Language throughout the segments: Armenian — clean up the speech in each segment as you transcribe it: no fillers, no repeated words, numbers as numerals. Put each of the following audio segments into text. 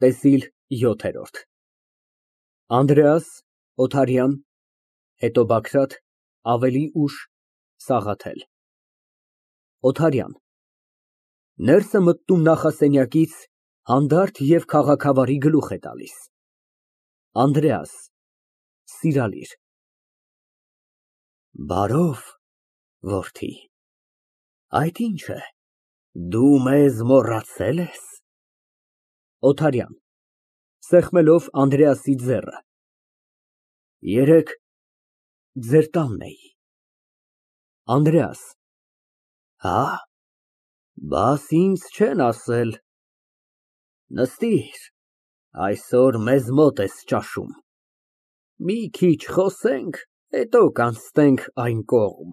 ՏԵՍԻԼ ՅՈԹԵՐՈՐԴ ԱՆԴՐԵԱՍ, ՕԹԱՐՅԱՆ, հետո ԲԱԳՐԱՏ, ավելի ուշ ՍԱՂԱԹԵԼ ՕԹԱՐՅԱՆ ֊ Ներս է մտնում նախասենյակից, հանդարտ և քաղաքավարի գլուխ է տալիս։ ԱՆԴՐԵԱՍ ֊ (Սիրալիր) Բարով, որդի, այդ ինչ է, դու մեզ մոռացե՞լ ես։ ՕԹԱՐՅԱՆ ֊ (Սեղմելով Անդրեասի ձեռքը) Երեկ ձեր տանն էի։ ԱՆԴՐԵԱՍ ֊ Հա՞, բաս ինձ չեն ասել։ Նստիր, այսօր մեզ մոտ ես ճաշում, մի քիչ խոսենք, հետո կանցնենք այն կողմ։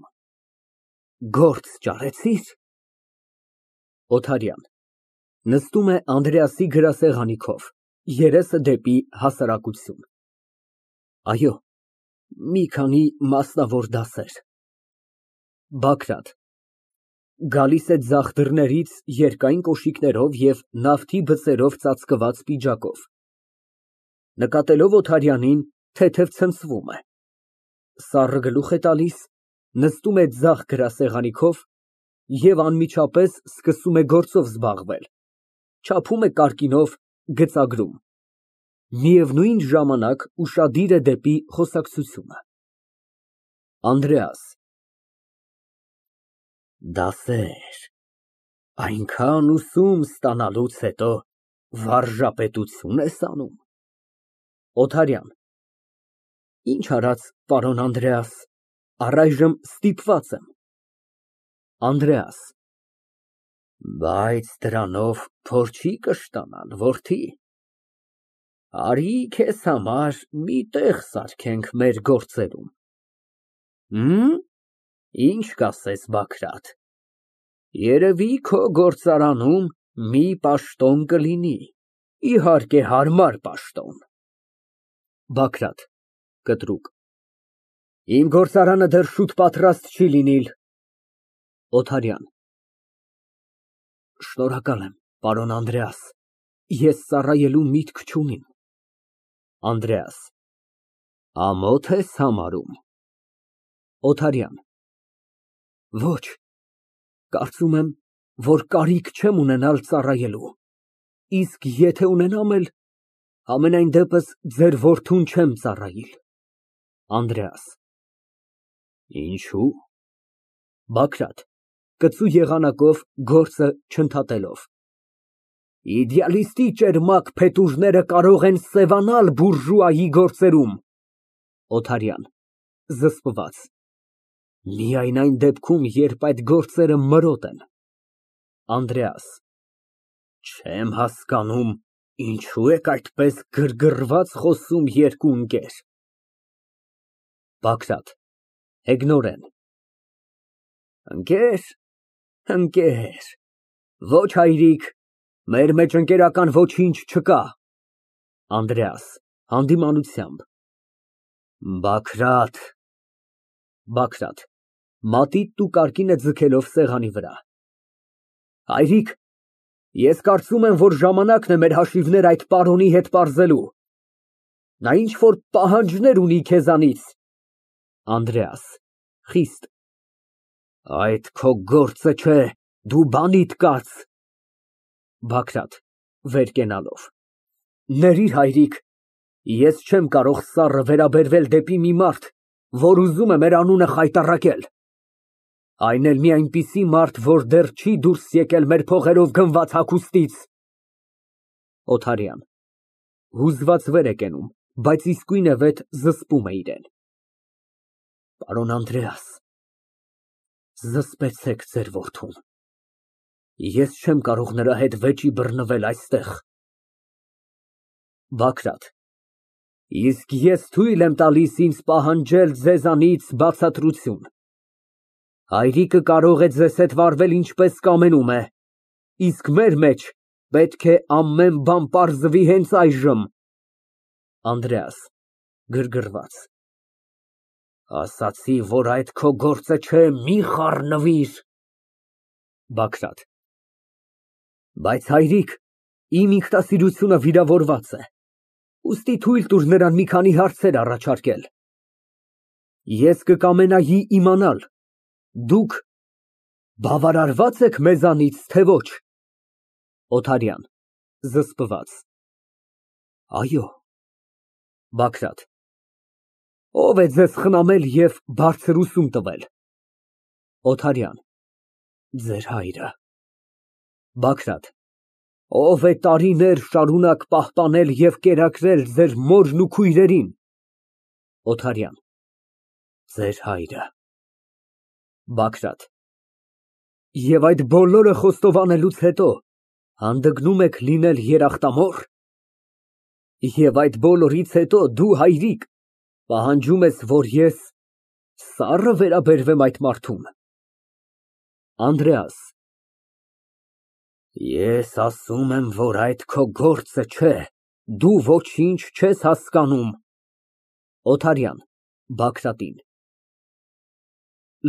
Գործ ճարեցի՞ր։ ՕԹԱՐՅԱՆ ֊ (Նստում է Անդրեասի գրասեղանի քով, երեսը դեպի հասարակություն) Այո, մի քանի մասնավոր դասեր։ ԲԱԳՐԱՏ ֊ (Գալիս է ձախ դռներից երկայն կոշիկներով և նավթի բծերով ծածկված պիջակով, նկատելով Օթարյանին, թեթև ցնցվում է, սառը գլուխ է տալիս, նստում է ձախ գրասեղանի քով և անմիջապես սկսում է գործով զբաղվել, չափում է կարկինով, գծագրում, միևնույն ժամանակ ուշադիր է դեպի խոսակցությունը)։ ԱՆԴՐԵԱՍ ֊ Դասեր, այնքան ուսում ստանալուց հետո վարժապետությո՞ւն ես անում։ ՕԹԱՐՅԱՆ ֊ Ինչ արած, պարոն Անդրեաս, առայժմ ստիպված եմ։ ԱՆԴՐԵԱՍ ֊ Բայց դրանով փոր չի կշտանալ, որդի, արի քեզ համար մի տեղ սարքենք մեր գործերում։ Ինչ կասես, Բագրատ, երևի քո գործարանում մի պաշտոն կլինի, իհարկե հարմար պաշտոն։ ԲԱԳՐԱՏ ֊ (Կտրուկ) Իմ գործարանը դեռ շուտ պատրաստ չի լինիլ։ ՕԹԱՐՅԱՆ ֊ Շնորհակալ եմ, պարոն Անդրեաս, ես ծառայելու միտք չունիմ։ ԱՆԴՐԵԱՍ ֊ Ամոթ ես համարում։ ՕԹԱՐՅԱՆ ֊ Ոչ, կարծում եմ, որ կարիք չեմ ունենալ ծառայելու, իսկ եթե ունենամ էլ, համենայն դեպս ձեր որդուն չեմ ծառայիլ։ ԱՆԴՐԵԱՍ ֊ Ինչո՞ւ։ ԲԱԳՐԱՏ ֊ (Կծու եղանակով, գործը չընդհատելով) Իդեալիստի ճերմակ փետուրները կարող են սևանալ բուրժուայի գործերում։ ՕԹԱՐՅԱՆ ֊ (Զսպված) Միայն այն դեպքում, երբ այդ գործերը մրոտ են։ ԱՆԴՐԵԱՍ ֊ Չեմ հասկանում, ինչո՞ւ եք այդպես գրգռված խոսում երկու ընկեր։ ԲԱԳՐԱՏ ֊ (Հեգնորեն) Ընկեր, ոչ հայրիկ, մեր մեջ ընկերական ոչինչ չկա։ ԱՆԴՐԵԱՍ ֊ (Հանդիմանությամբ) Բագրատ։ ԲԱԳՐԱՏ ֊ (Մատիտն ու կարկինը ձգելով սեղանի վրա) Հայրիկ, ես կարծում եմ, որ ժամանակն է մեր հաշիվներն այդ պարոնի հետ պարզելու։ Նա ինչ֊որ պահանջներ ունի քեզանից։ ԱՆԴՐԵԱՍ ֊ (Խիստ) Այդ քո գործը չէ, դու բանիդ կաց։ ԲԱԳՐԱՏ ֊ (Վեր կենալով) Ներիր, հայրիկ, ես չեմ կարող սառը վերաբերվել դեպի մի մարդ, որ ուզում է մեր անունը խայտառակել, այն էլ մի այնպիսի մարդ, որ դեռ չի դուրս եկել մեր փողերով գնված հագուստից։ ՕԹԱՐՅԱՆ ֊ (Հուզված վեր է կենում, բայց իսկույնևեթ զսպում է իրեն) Պարոն Անդրեաս, զսպեցեք ձեր որդուն, ես չեմ կարող նրա հետ վեճի բռնվել այստեղ։ ԲԱԳՐԱՏ ֊ Իսկ ես թույլ եմ տալիս ինձ պահանջել ձեզանից բացատրություն։ Հայրիկը կարող է ձեզ հետ վարվել ինչպես կամենում է, իսկ մեր մեջ պետք է ամեն բան պարզվի հենց այժմ։ ԱՆԴՐԵԱՍ ֊ (Գրգռված) Ասացի, որ այդ քո գործը չէ, մի խառնվիր։ ԲԱԳՐԱՏ ֊ Բայց հայրիկ, Իմ ինքնասիրությունը վիրավորված է, ուստի թույլ տուր նրան մի քանի հարցեր առաջարկել։ Ես կկամենայի իմանալ, դուք բավարարվա՞ծ եք մեզանից, թե ոչ։ ՕԹԱՐՅԱՆ ֊ (Զսպված) Այո։ ԲԱԳՐԱՏ ֊ Ո՞վ է ձեզ խնամել և բարձր ուսում տվել։ ՕԹԱՐՅԱՆ ֊ Ձեր հայրը։ ԲԱԳՐԱՏ ֊ Ո՞վ է տարիներ շարունակ պահպանել և կերակրել ձեր մորն ու քույրերին։ ՕԹԱՐՅԱՆ ֊ Ձեր հայրը։ ԲԱԳՐԱՏ ֊ Եվ այդ բոլորը խոստովանելուց հետո հանդգնում եք լինել երեխտամո՞ռ։ Եվ այդ բոլորից հետո դու, հայրիկ, պահանջում ես, որ ես սա՞ռը վերաբերվեմ այդ մարդուն։ ԱՆԴՐԵԱՍ ֊ Ես ասում եմ, որ այդ քո գործը չէ, դու ոչինչ չես հասկանում։ ՕԹԱՐՅԱՆ ֊ (Բագրատին)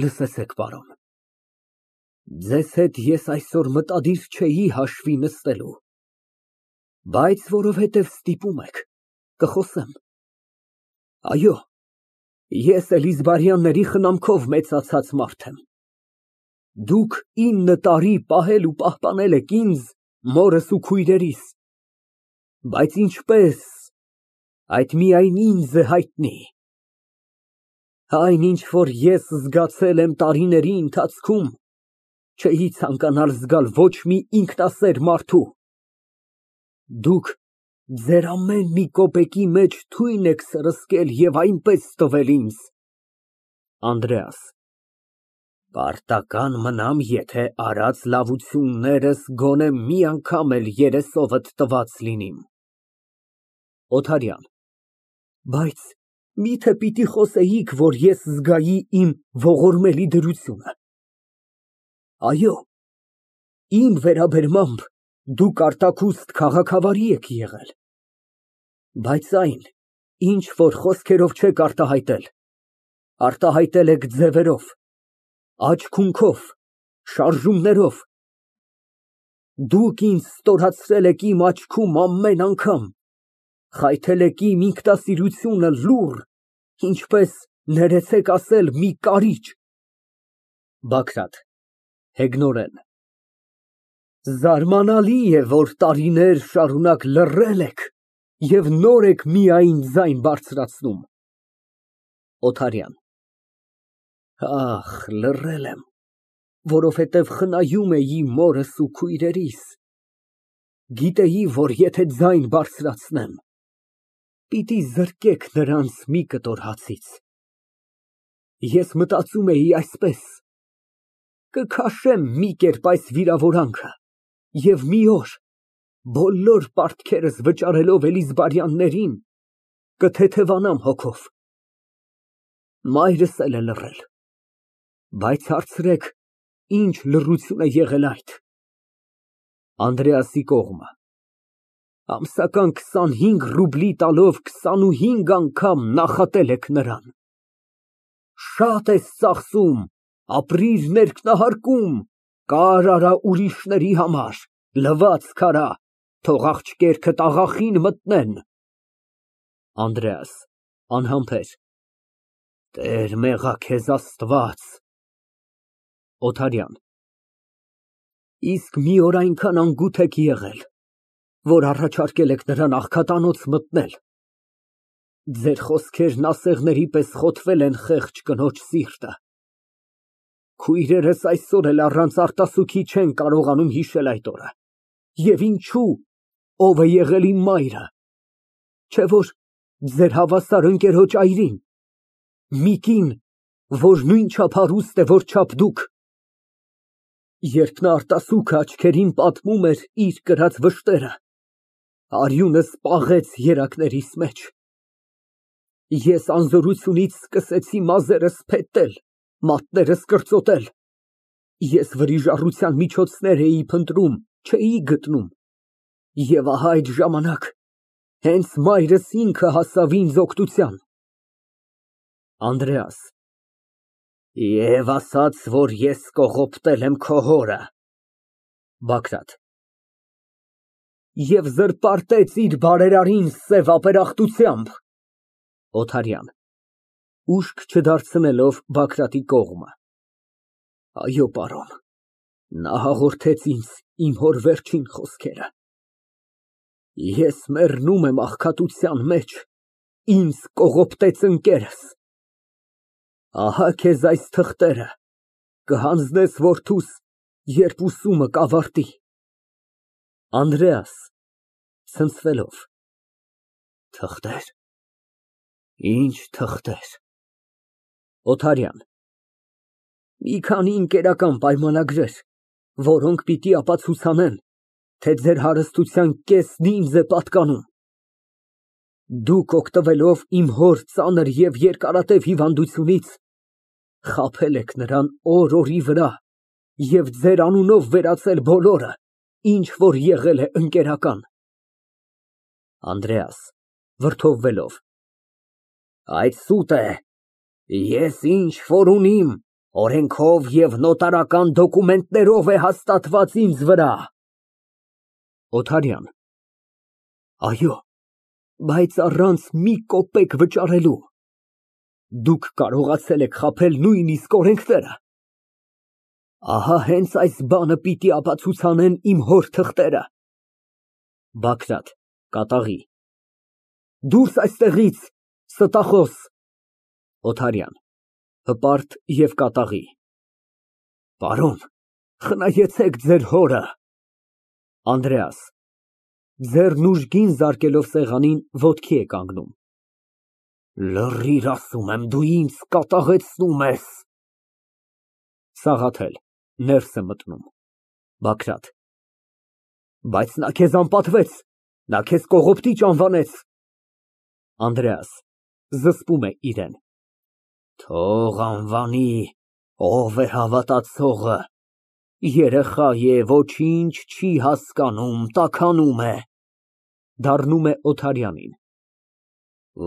Լսեցեք, պարոն, ձեզ հետ ես այսօր մտադիր չէի հաշվի նստելու, բայց որովհետև ստիպում եք, կխոսեմ։ Այո, ես Էլիզբարյանների խնամքով մեծացած մարդ եմ։ Դուք 9 տարի պահել ու պահպանել եք ինձ, մորս ու քույրերիս, բայց ինչպես, այդ միայն ինձ է հայտնի։ Այն, ինչ որ ես զգացել եմ տարիների ընթացքում, չէի ցանկանալ զգալ ոչ մի ինքնասեր մարդու։ Դուք ձեր ամեն մի կոպեկի մեջ թույն եք սրսկել և այնպես տվել ինձ։ ԱՆԴՐԵԱՍ ֊ Պարտական մնամ, եթե արած լավություններս գոնե մի անգամ էլ երեսովդ տված լինիմ։ ՕԹԱՐՅԱՆ ֊ Բայց մի՞թե պիտի խոսեիք, որ ես զգայի իմ ողորմելի դրությունը։ Այո, իմ վերաբերմամբ դուք արտաքուստ քաղաքավարի եք եղել, բայց այն, ինչ որ խոսքերով չեք արտահայտել, արտահայտել եք ձևերով, աչք֊ունքով, շարժումներով։ Դուք ինձ ստորացրել եք իմ աչքում ամեն անգամ, խայթել եք իմ ինքնասիրությունը լուռ, ինչպես, ներեցեք ասել, մի կարիճ։ ԲԱԳՐԱՏ ֊ (Հեգնորեն) Զարմանալի է, որ տարիներ շարունակ լռել եք և նոր եք միայն ձայն բարձրացնում։ ՕԹԱՐՅԱՆ ֊ Ախ, լռել եմ, որովհետև խնայում էի մորս ու քույրերիս։ Գիտեի, որ եթե ձայն բարձրացնեմ, պիտի զրկեք նրանց մի կտոր հացից։ Ես մտածում էի այսպես. կքաշեմ մի կերպ այս վիրավորանքը և մի օր, բոլոր պարտքերս վճարելով Էլիզբարյաններին, կթեթևանամ հոգով։ Մայրս էլ է լռել, բայց հարցրեք, ինչ լռություն է եղել այդ։ ԱՆԴՐԵԱՍի կողմ Ամսական 25 ռուբլի տալով 25 անգամ նախատել եք նրան։ Շատ ես ծախսում, ապրիր ներքնահարկում, կար արա ուրիշների համար, լվացք արա, թող աղջիկներդ աղախին մտնեն։ ԱՆԴՐԵԱՍ ֊ (Անհամբեր) Տեր մեղա քեզ Աստված։ ՕԹԱՐՅԱՆ ֊ Իսկ մի օր այնքան անգութ եք եղել, որ առաջարկել եք նրան աղքատանոց մտնել։ Ձեր խոսքերն ասեղների պես խոթվել են խեղճ կնոջ սիրտը։ Քույրերս այսօր էլ առանց արտասուքի չեն կարողանում հիշել այդ օրը։ Եվ ինչո՞ւ, ով է եղել իմ մայրը։ Չէ՞ որ ձեր հավասար ընկերոջ այրին, մի կին, որ նույնչափ հարուստ է, որչափ դուք։ Երբ նա արտասուքը աչքերին պատմում էր իր կրած վշտերը, արյունս պաղեց երակներիս մեջ։ Ես անզորությունից սկսեցի մազերս փետտել, մատներս կրծոտել։ Ես վրիժառության միջոցներ էի փնտրում, չէի գտնում։ Եվ ահա այդ ժամանակ հենց մայրս ինքը հասավ ինձ օգնության։ ԱՆԴՐԵԱՍ ֊ Եվ ասաց, որ ես կողոպտել եմ քո հորը։ ԲԱԳՐԱՏ ֊ և զրպարտեց իր բարերարին սև ապերախտությամբ։ ՕԹԱՐՅԱՆ ֊ (Ուշք չդարձնելով Բագրատի կողմ) Այո, պարոն, նա հաղորդեց ինձ իմ հոր վերջին խոսքերը։ Ես մեռնում եմ աղքատության մեջ, ինձ կողոպտեց ընկերս։ Ահա քեզ այս թղթերը, կհանձնես որդուս, երբ ուսումը կավարտի։ ԱՆԴՐԵԱՍ ֊ (Ցնցվելով) Թղթեր, ի՞նչ թղթեր։ ՕԹԱՐՅԱՆ ֊ Մի քանի ընկերական պայմանագրեր, որոնք պիտի ապացուցեն, թե ձեր հարստության կեսն ինձ է պատկանում։ Դուք, օգտվելով իմ հոր ծանր և երկարատև հիվանդությունից, խաբել եք նրան օր֊օրի վրա և ձեր անունով վերածել բոլորը, ինչ որ եղել է ընկերական։ ԱՆԴՐԵԱՍ ֊ (Վրդովվելով) Այդ սուտ է, ես ինչ որ ունիմ, օրենքով և նոտարական դոկումենտներով է հաստատված ինձ վրա։ ՕԹԱՐՅԱՆ ֊ Այո, բայց առանց մի կոպեկ վճարելու։ Դուք կարողացել եք խաբել նույնիսկ օրենքները։ Ահա հենց այս բանը պիտի ապացուցեն իմ հոր թղթերը։ ԲԱԳՐԱՏ ֊ (Կատաղի) Դուրս այստեղից, ստախոս։ ՕԹԱՐՅԱՆ ֊ (Հպարտ և կատաղի) Պարոն, խնայեցեք ձեր հորը։ ԱՆԴՐԵԱՍ ֊ (Ձեռն ուժգին զարկելով սեղանին, ոտքի է կանգնում) Լռիր, ասում եմ, դու ինձ կատաղեցնում ես։ ՍԱՂԱԹԵԼ ֊ (Ներս է մտնում) ԲԱԳՐԱՏ ֊ Բայց նա քեզ անպատվեց, նա քեզ կողոպտիչ անվանեց։ ԱՆԴՐԵԱՍ ֊ (Զսպում է իրեն) Թող անվանի, ով է հավատացողը, երեխա է, ոչինչ չի հասկանում, տաքանում է։ (Դառնում է Օթարյանին)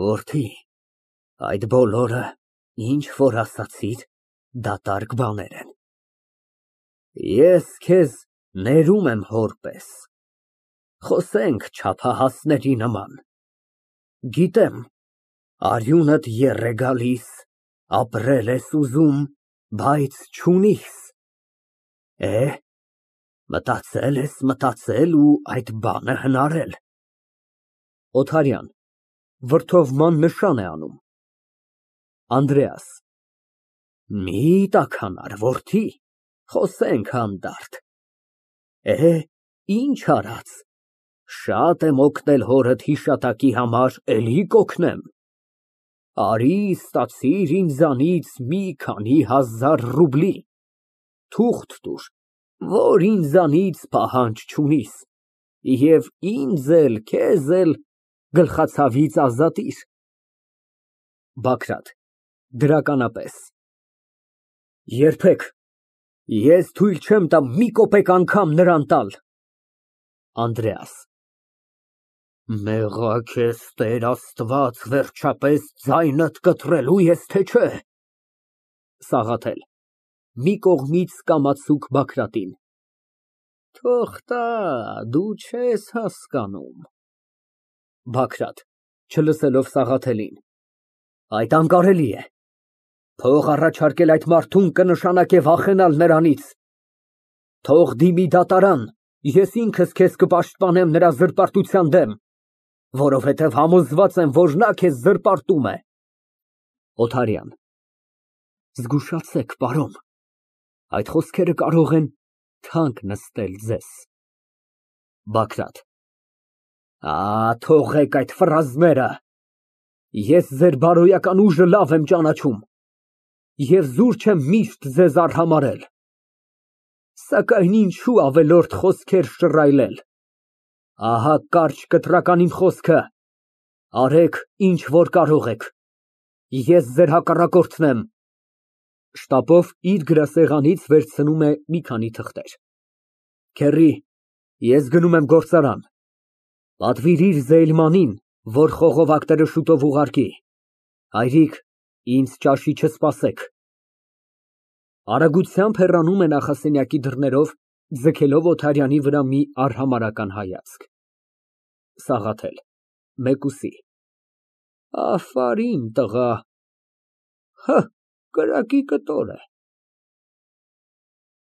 Որդի, այդ բոլորը, ինչ որ ասացիր, դատարկ բաներ են։ Ես քեզ ներում եմ հոր պես, խոսենք չափահասների նման։ Գիտեմ, արյունդ եռ է գալիս, ապրել ես ուզում, բայց չունիս։ Մտածել ես ու այդ բանը հնարել։ ՕԹԱՐՅԱՆ ֊ (Վրդովման նշան է անում) ԱՆԴՐԵԱՍ ֊ Մի տաքանար, որդի, խոսենք հանդարտ։ Ինչ արած, շատ եմ օգնել հորդ հիշատակի համար, էլի կօգնեմ։ Արի, ստացիր ինձանից մի քանի հազար ռուբլի, թուղթ տուր, որ ինձանից պահանջ չունիս, և ինձ էլ, քեզ էլ գլխացավից ազատիր։ ԲԱԳՐԱՏ ֊ (Դրականապես) Երբեք, ես թույլ չեմ տա մի կոպեկ անգամ նրան տալ։ ԱՆԴՐԵԱՍ ֊ Մեղա քեզ Տեր Աստված, վերջապես ձայնդ կտրելո՞ւ ես, թե չէ։ ՍԱՂԱԹԵԼ ֊ (Մի կողմից կամացուկ Բագրատին) Թող տա, դու չես հասկանում։ ԲԱԳՐԱՏ ֊ (Չլսելով Սաղաթելին) Այդ անկարելի է։ Փող առաջարկել այդ մարդուն կնշանակե վախենալ նրանից։ Թող դիմի դատարան, ես ինքս քեզ կպաշտպանեմ նրա զրպարտության դեմ, որովհետև համոզված եմ, որ նա քեզ զրպարտում է։ ՕԹԱՐՅԱՆ ֊ Զգուշացեք, պարոն, այդ խոսքերը կարող են թանկ նստել ձեզ։ ԲԱԳՐԱՏ ֊ Թողեք այդ ֆրազները, ես ձեր բարոյական ուժը լավ եմ ճանաչում և զուր չեմ միշտ ձեզ արհամարհել, սակայն ինչու ավելորդ խոսքեր շռայլել։ Ահա կարճ կտրական իմ խոսքը, արեք, ինչ որ կարող եք, ես ձեր հակառակորդն եմ։ (Շտապով իր գրասեղանից վերցնում է մի քանի թղթեր) Քեռի, ես գնում եմ գործարան, պատվիրիր Զեյլմանին, որ խողովակները շուտով ուղարկի, հայրիկ, ինձ ճաշի չսպասեք։ (Արագությամբ հեռանում է նախասենյակի դռներով, ձգելով Օթարյանի վրա մի արհամարհական հայացք)։ ՍԱՂԱԹԵԼ ֊ (Մեկուսի) Աֆարիմ տղա, կրակի կտոր է։